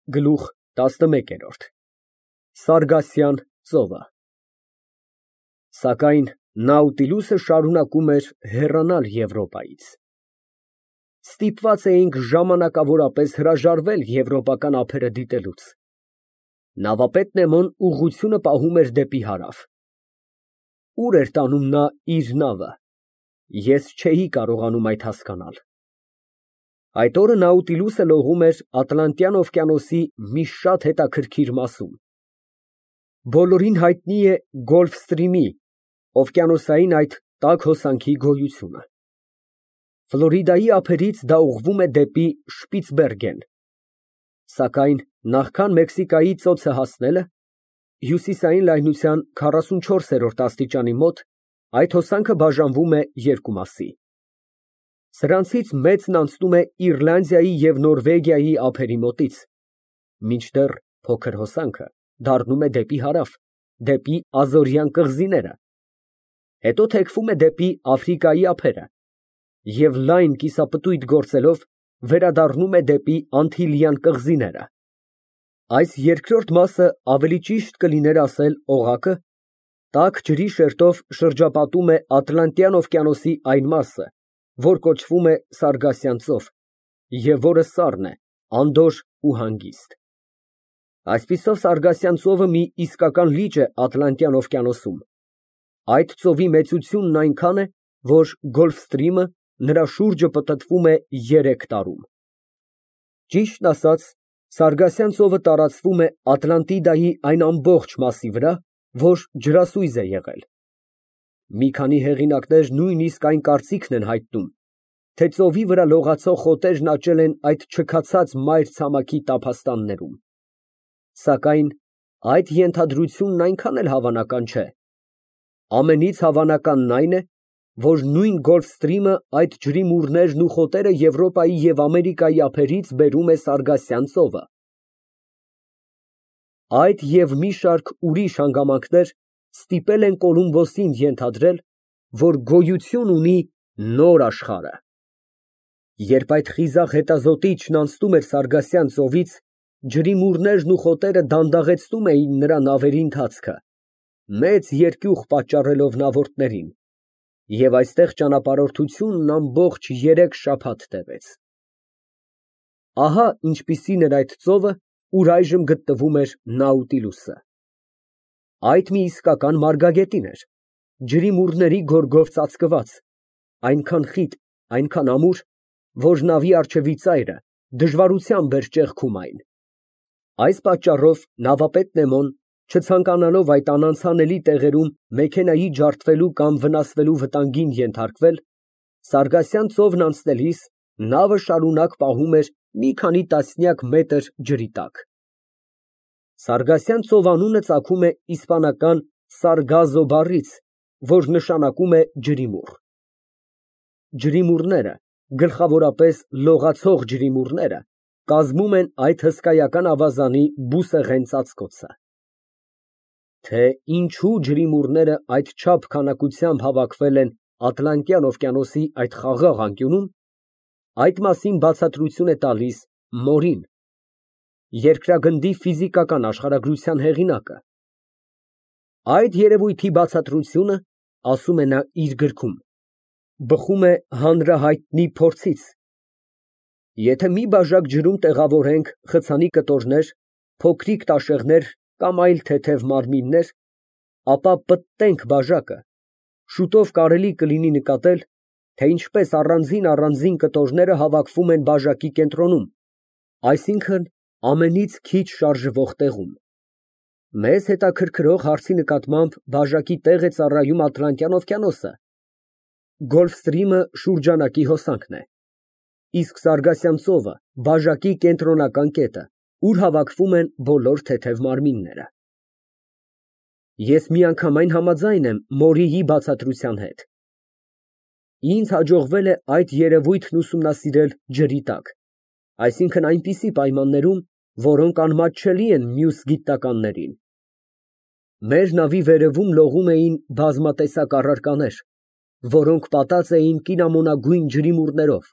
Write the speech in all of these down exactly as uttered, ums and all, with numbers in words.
Գլուխ տասնմեկ։ Սարգասյան ծովը Սակայն Նաուտիլուսը շարունակում էր հեռանալ Եվրոպայից։ Ստիպված էինք ժամանակավորապես հրաժարվել եվրոպական ափերը դիտելուց։ Նավապետ Նեմոն ուղղությունը պահում էր դեպի հարավ։ Ուր էր տանում նա իր նավը, ես չէի կարողանում այդ հասկանալ։ Այդ օրը Նաուտիլուսը լողում էր Ատլանտյան օվկիանոսի մի շատ հետաքրքիր մասում։ Բոլորին հայտնի է Գոլֆստրիմի օվկիանոսային այդ տաք հոսանքի գոյությունը։ Ֆլորիդայի ափերից դա ուղղվում է դեպի Շպիցբերգեն, սակայն նախքան Մեքսիկայի ծոցը հասնելը, հյուսիսային լայնության քառասունչորսերորդ աստիճանի մոտ, այդ հոսանքը բաժանվում է երկու մասի։ Սրանցից մեծն անցնում է Իռլանդիայի և Նորվեգիայի ափերի մոտից, մինչդեռ փոքր հոսանքը դառնում է դեպի հարավ, դեպի Ազորյան կղզիները, հետո թեքվում է դեպի Աֆրիկայի ափերը և լայն կիսապտույտ գործելով վերադառնում է դեպի Անտիլյան կղզիները։ Այս երկրորդ մասը ավելի ճիշտ կլիներ ասել օղակը, տաք ջրի շերտով շրջապատում է Ատլանտյան օվկիանոսի այն մասը, որ կոչվում է Սարգասյան ծով և որը սառն է, անդորր ու հանգիստ։ Այսպիսով Սարգասյան ծովը մի իսկական լիճ է Ատլանտյան օվկիանոսում։ Այդ ծովի մեծությունն այնքան է, որ Գոլֆստրիմը նրա շուրջը պտտվում է երեք տարում։ Ճիշտն ասած, Սարգասյան ծովը տարածվում է Ատլանտիդայի այն ամբողջ մասի վրա, որ ջրասույզ է եղել։ Մի քանի հեղինակներ նույնիսկ այն կարծիքն են հայտնում, թե ծովի վրա լողացող խոտերն աճել են այդ չքացած մայր ցամաքի տափաստաններում։ Սակայն այդ ենթադրությունն այնքան էլ հավանական չէ։ Ամենից հավանականն այն է, որ նույն Գոլֆստրիմը այդ ջրի մուրներն ու խոտերը Եվրոպայի և Ամերիկայի ափերից բերում է Սարգասյան ծովը։ Այդ և մի շարք ուրիշ հանգամանքներ ստիպել են Կոլումբոսին ենթադրել, որ գոյություն ունի նոր աշխարհը։ Երբ այդ խիզախ հետազոտիչն անցնում էր Սարգասյան ծովից, ջրի մուրներն ու խոտերը դանդաղեցնում էին նրա նավերի ընթացքը, մեծ երկյուղ պատճառելով նավորդներին, և այստեղ ճանապարհորդությունն ամբողջ երեք շաբաթ տևեց։ Ահա ինչպիսին էր այդ ծովը, ուր այժմ գտնվում էր Նաուտիլուսը։ Այդ մի իսկական մարգագետին էր, ջրի մուրների գորգով ծածկված, այնքան խիտ, այնքան ամուր, որ նավի առջևի ծայրը դժվարությամբ էր ճեղքում այն։ Այս պատճառով նավապետ Նեմոն, չցանկանալով այդ անանցանելի տեղերում մեքենայի ջարդվելու կամ վնասվելու վտանգին ենթարկվել, Սարգասյան ծովն անցնելիս նավը շարունակ պահում էր մի քանի տասնյակ մետր ջրի տակ։ Սարգասյան ծով անունը ծագում է իսպանական Սարգազո բառից, որ նշանակում է ջրի մուռ։ Ջրի մուրները, գլխավորապես լողացող ջրի մուրները, կազմում են այդ հսկայական ավազանի բուսեղեն ծածկոցը։ Թե ինչու ջրի մուրները այդչափ քանակությամբ հավաքվել են Ատլանտյան օվկիանոսի այդ խաղաղ անկյունում, այդ մասին բացատրություն է տալիս Մորին, երկրագնդի ֆիզիկական աշխարհագրության հեղինակը։ Այդ երևույթի բացատրությունը, ասում է նա իր գրքում, բխում է հանրահայտնի փորձից. եթե մի բաժակ ջրում տեղավորենք խցանի կտորներ, փոքրիկ տաշեղներ կամ այլ թեթև մարմիններ, ապա պտտենք բաժակը, շուտով կարելի կլինի նկատել, թե ինչպես առանձին֊առանձին կտորները հավաքվում են բաժակի կենտրոնում, այսինքն ամենից քիչ շարժվող տեղում։ Մեզ հետաքրքրող հարցի նկատմամբ բաժակի տեղ է ծառայում Ատլանտյան օվկիանոսը։ Գոլֆստրիմը շուրջանակի հոսանքն է, իսկ Սարգասյան ծովը բաժակի կենտրոնական կետը, ուր հավաքվում են բոլոր թեթև մարմինները։ Ես միանգամայն համաձայն եմ Մորիի բացատրության հետ։ Ինձ հաջողվել է այդ երևույթն ուսումնասիրել ջրի տակ, այսինքն այնպիսի պայմաններում, որոնք անմատչելի են մյուս գիտնականներին։ Մեր նավի վերևում լողում էին բազմատեսակ առարկաներ, որոնք պատած էին կինամոնագույն ջրի մուրներով,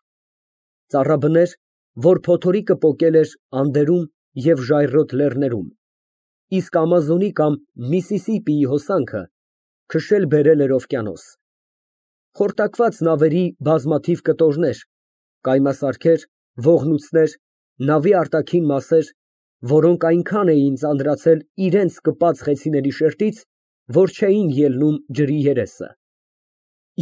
ծառաբներ, որ փոթորիկը պոկել էր անդերում և ժայռոտ լեռներում, իսկ Ամազոնի կամ Միսիսիպիի հոսանքը քշել֊բերել էր օվկիանոս. խորտակված նավերի բազմաթիվ կտորներ, կայմասարքեր, ողնուցներ, նավի արտաքին մասեր, որոնք այնքան էին ծանրացել իրենց կպած խեցիների շերտից, որ չէին ելնում ջրի երեսը։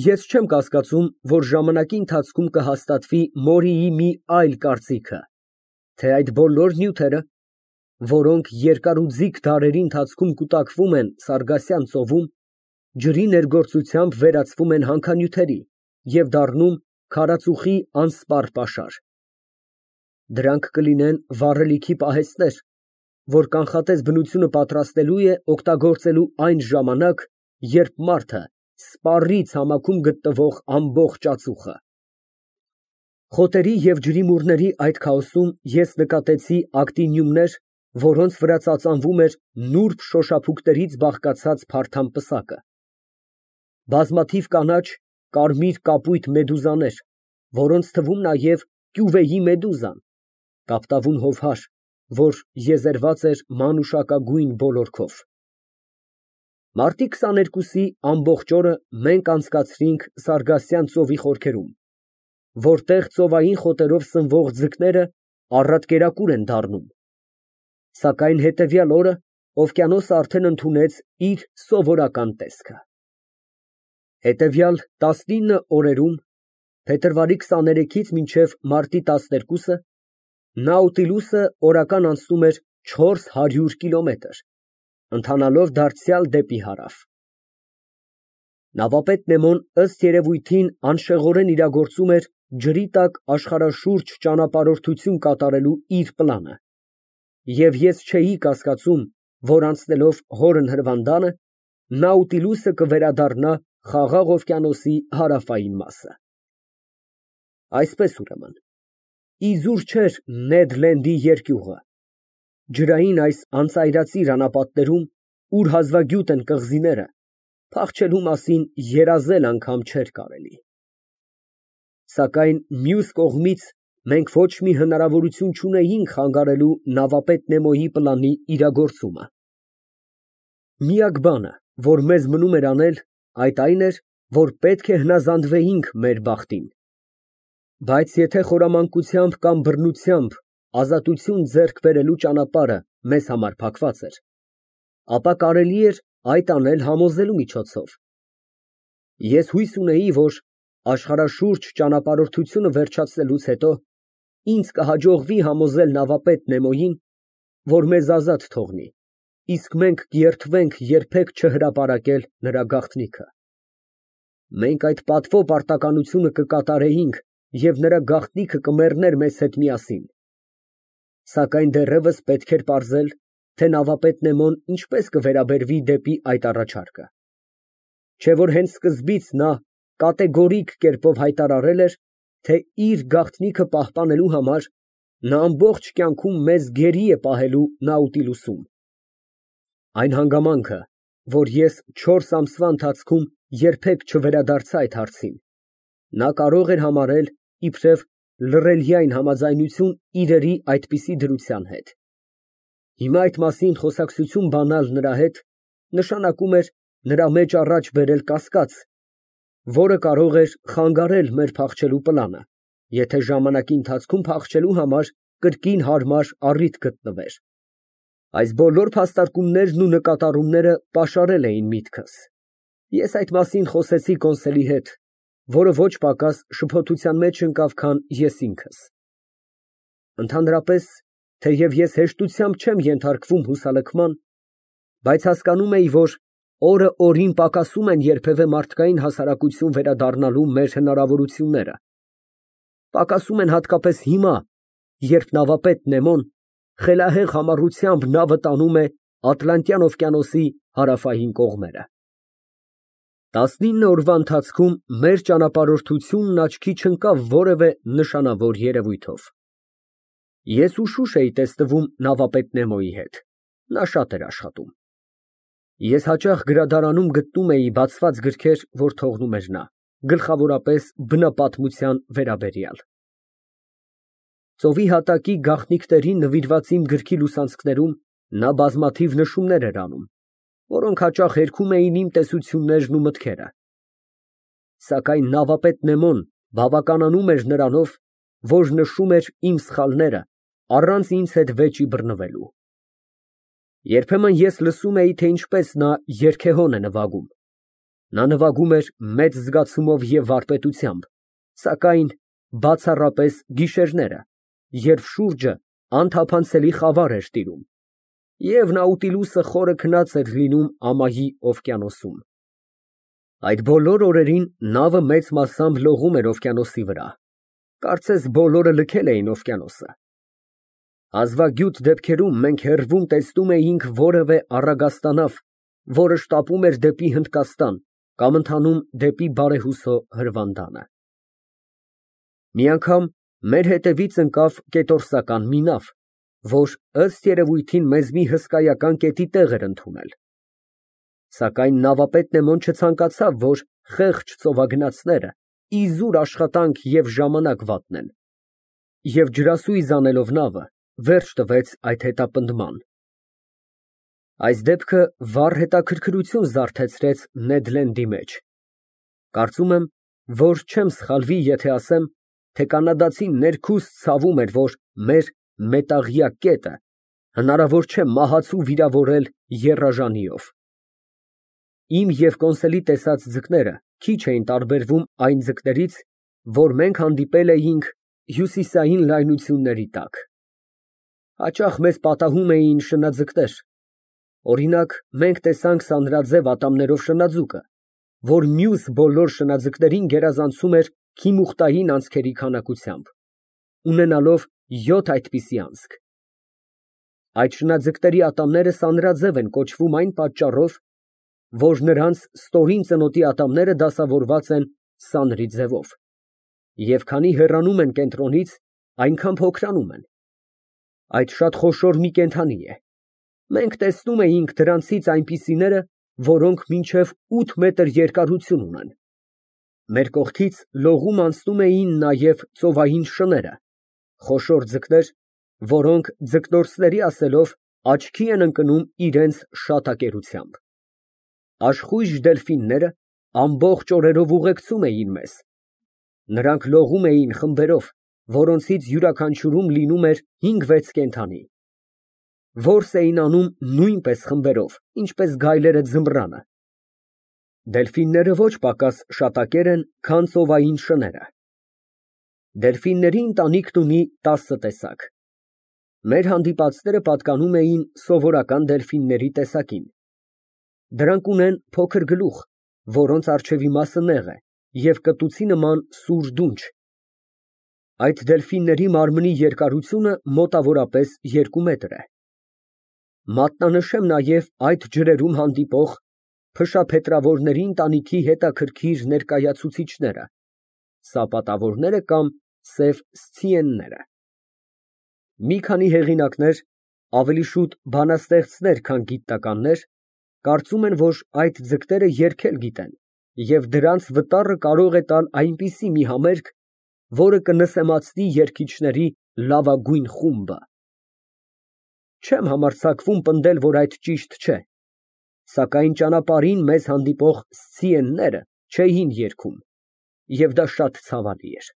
Ես չեմ կասկածում, որ ժամանակի ընթացքում կհաստատվի Մորիի մի այլ կարծիքը, թե այդ բոլոր նյութերը, որոնք երկարուձիգ դարերի ընթացքում կուտակվում են Սարգասյան ծովում, ջրի ներգործությամբ վերածվում են հանքանյութերի և դառնում քարածուխի անսպառ պաշար։ Դրանք կլինեն վառելիքի պահեստներ, որ կանխատես բնությունը պատրաստելու է օգտագործելու այն ժամանակ, երբ մարդը սպառի ցամաքում գտնվող ամբողջ ածուխը։ Խոտերի և ջրիմուռների այդ քաոսում ես նկատեցի ակտինիումներ, որոնց վրա ծածանվում էր նուրբ շոշափուկներից բաղկացած փարթամ պսակը, բազմաթիվ կանաչ, կարմիր կապույտ մեդուզաներ, որոնց թվում նաև կյուվեի մեդուզան, կապտավուն հովհար, որ եզերված էր մանուշակագույն բոլորքով։ Մարտի քսաներկուսի ամբողջ օրը մենք անցկացրինք Սարգասյան ծովի խորքերում, որտեղ ծովային խոտերով սնվող ձկները առատ կերակուր են դառնում, սակայն հետևյալ օրը օվկիանոսը արդեն ընդունեց իր սովորական տեսքը։ Հետևյալ տասնինը օրերում, փետրվարի քսաներեքից մինչև մարտի տասներկուսը, Նաուտիլուսը օրական անցնում էր չորս հարյուր կիլոմետր, ընթանալով դարձյալ դեպի հարավ։ Նավապետ Նեմոն ըստ երևույթին անշեղորեն իրագործում էր ջրի տակ աշխարհաշուրջ ճանապարհորդություն կատարելու իր պլանը, և ես չէի կասկածում, որ անցնելով Հորն հրվանդանը, Նաուտիլուսը կվերադառնա Խաղաղ օվկիանոսի հարավային մասը։ Այսպես ուրեմն, իզուր չէր Նեդ Լենդի երկյուղը, ջրային այս անծայրածիր անապատներում, ուր հազվագյուտ են կղզիները, փախչելու մասին երազել անգամ չէր կարելի։ Սակայն մյուս կողմից մենք ոչ մի հնարավորություն չունեինք խանգարելու նավապետ Նեմոյի պլանի իրագործումը։ Միակ բանը, որ մեզ մնում էր անել, այդ այն էր, որ պետք է հնազանդվեինք մեր բախտին։ Բայց եթե խորամանկությամբ կամ բռնությամբ ազատություն ձեռք բերելու ճանապարհը մեզ համար փակված էր, ապա կարելի էր այդ անել համոզելու միջոցով։ Ես հույս ունեի, որ աշխարհաշուրջ ճանապարհորդությունը վերջացնելուց հետո ինձ կհաջողվի համոզել նավապետ Նեմոյին, որ մեզ ազատ թողնի, իսկ մենք կերթվենք երբեք չհրապարակել նրա գաղտնիքը։ Մենք այդ պատվո պարտականությունը կկատարեինք և նրա գաղտնիքը կմեռներ մեզ հետ միասին։ Սակայն դեռևս պետք էր պարզել, թե նավապետ Նեմոն ինչպես կվերաբերվի դեպի այդ առաջարկը։ Չէ՞ որ հենց սկզբից նա կատեգորիկ կերպով հայտարարել էր, թե իր գաղտնիքը պահպանելու համար նա ամբողջ կյանքում մեզ գերի է պահելու Նաուտիլուսում։ Այն հանգամանքը, որ ես չորս ամսվա ընթացքում երբեք չվերադարձա այդ հարցին, նա կարող էր համարել իբրև լռելյայն համաձայնություն իրերի այդպիսի դրության հետ։ Հիմա այդ մասին խոսակցություն բանալ նրա հետ նշանակում էր նրա մեջ առաջ բերել կասկած, որը կարող էր խանգարել մեր փախչելու պլանը, եթե ժամանակի ընթացքում փախչելու համար կրկին հարմար առիթ գտնվեր։ Այս բոլոր փաստարկումներն ու նկատառումները պաշարել էին միտքս։ Ես այդ մասին խոսեցի կոնսելի հետ, որը ոչ պակաս շփոթության մեջ ընկավ, քան ես ինքս։ Ընդհանրապես, թեև ես հեշտությամբ չեմ ենթարկվում հուսալքման, բայց հասկանում էի, որ օրը օրին պակասում են երբևէ մարդկային հասարակություն վերադառնալու մեր հնարավորությունները, պակասում են հատկապես հիմա, երբ նավապետ Նեմոն խելահեղ համառությամբ նավը տանում է Ատլանտյան օվկիանոսի հարավային կողմերը։ Տասնինը օրվա ընթացքում մեր ճանապարհորդությունն աչքի չընկավ որևէ նշանավոր երևույթով։ Ես ուշուշ էի տեսնվում նավապետ Նեմոյի հետ, նա շատ էր աշխատում։ Ես հաճախ գրադարանում գտնում էի բացված գրքեր, որ թողնում էր նա, գլխավորապես բնապատմության վերաբերյալ։ Ծովի հատակի գաղտնիքներին նվիրված իմ գրքի լուսանցքներում նա բազմաթիվ նշումներ էր անում, որոնք հաճախ հերքում էին իմ տեսություններն ու մտքերը։ Սակայն նավապետ Նեմոն բավականանում էր նրանով, որ նշում էր իմ սխալները, առանց ինձ հետ վեճի բռնվելու։ Երբեմն ես լսում էի, թե ինչպես նա երգեհոն է նվագում։ Նա նվագում էր մեծ զգացումով և վարպետությամբ, սակայն բացառապես գիշերները, երբ շուրջը անթափանցելի խավար էր տիրում, և Նաուտիլուսը խորը քնած էր լինում ամայի օվկիանոսում։ Այդ բոլոր օրերին նավը մեծ մասամբ լողում էր օվկիանոսի վրա, կարծես բոլորը լքել էին օվկիանոսը։ Հազվագյուտ դեպքերում մենք հեռվում տեսնում էինք որևէ առագաստանավ, որը շտապում էր դեպի Հնդկաստան կամ ընթանում դեպի բարեհուսո հրվանդանը։ Մի անգամ մեր հետևից ընկավ կետորսական մի նավ, որ, ըստ երևույթին, մեզ մի հսկայական կետի տեղ էր ընդունել։ Սակայն նավապետ Նեմոն չցանկացավ, որ խեղճ ծովագնացները իզուր աշխատանք և ժամանակ վատնեն, և ջրասույզ անելով նավը, վերջ տվեց այդ հետապնդման։ Այս դեպքը վառ հետաքրքրություն զարթեցրեց Նեդ Լենդի մեջ։ Կարծում եմ, որ չեմ սխալվի, եթե ասեմ, թե կանադացին ներքուստ ցավում էր, որ մեր մետաղյա կետը հնարավոր չէ մահացու վիրավորել եռաժանիով։ Իմ և Կոնսելի տեսած ձկները քիչ էին տարբերվում այն ձկներից, որ մենք հանդիպել էինք հյուսիսային լայնությունների տակ։ Հաճախ մեզ պատահում էին շնաձկներ, օրինակ, մենք տեսանք սանրաձև ատամներով շնաձուկը, որ մյուս բոլոր շնաձկներին գերազանցում էր քիմուխտային անցքերի քանակությամբ, ունենալով յոթ այդպիսի անցք։ Այդ շնաձկների ատամները սանրաձև են կոչվում այն պատճառով, որ նրանց ստորին ծնոտի ատամները դասավորված են սանրի ձևով, և քանի հեռանում են կենտրոնից, այնքան փոքրանում են։ Այդ շատ խոշոր մի կենդանի է։ Մենք տեսնում էինք դրանցից այնպիսիները, որոնք մինչև ութ մետր երկարություն ունեն։ Մեր կողքից լողում անցնում էին նաև ծովային շները, խոշոր ձկներ, որոնք, ձկնորսների ասելով, աչքի են ընկնում իրենց շատակերությամբ։ Աշխույժ դելֆինները ամբողջ օրերով ուղեկցում էին մեզ։ Նրանք լողում էին խմբերով, որոնցից յուրաքանչյուրում լինում էր հինգ֊վեց կենդանի։ Որս էին անում նույնպես խմբերով, ինչպես գայլերը ձմռանը։ Դելֆինները ոչ պակաս շատակեր են, քան ծովային շները։ Դելֆինների ընտանիքն ունի տասը տեսակ։ Մեր հանդիպածները պատկանում էին սովորական դելֆինների տեսակին։ Դրանք ունեն փոքր գլուխ, որոնց առջևի մասը նեղ է, և կտուցի նման սուր դունչ։ Այդ դելֆինների մարմնի երկարությունը մոտավորապես երկու մետր է։ Մատնանշեմ նաև այդ ջրերում հանդիպող փշափետրավորների ընտանիքի հետաքրքիր ներկայացուցիչները՝ սապատավորները կամ սև սցիենները։ Մի քանի հեղինակներ, ավելի շուտ բանաստեղծներ, քան գիտնականներ, կարծում են, որ այդ ձկները երգել գիտեն և դրանց վտառը կարող է տալ այնպիսի մի համերգ, որը կնսեմացնի երգիչների լավագույն խումբը։ Չեմ համարձակվում պնդել, որ այդ ճիշտ չէ, սակայն ճանապարհին մեզ հանդիպող սցիենները չէին երգում, և դա շատ ցավալի էր։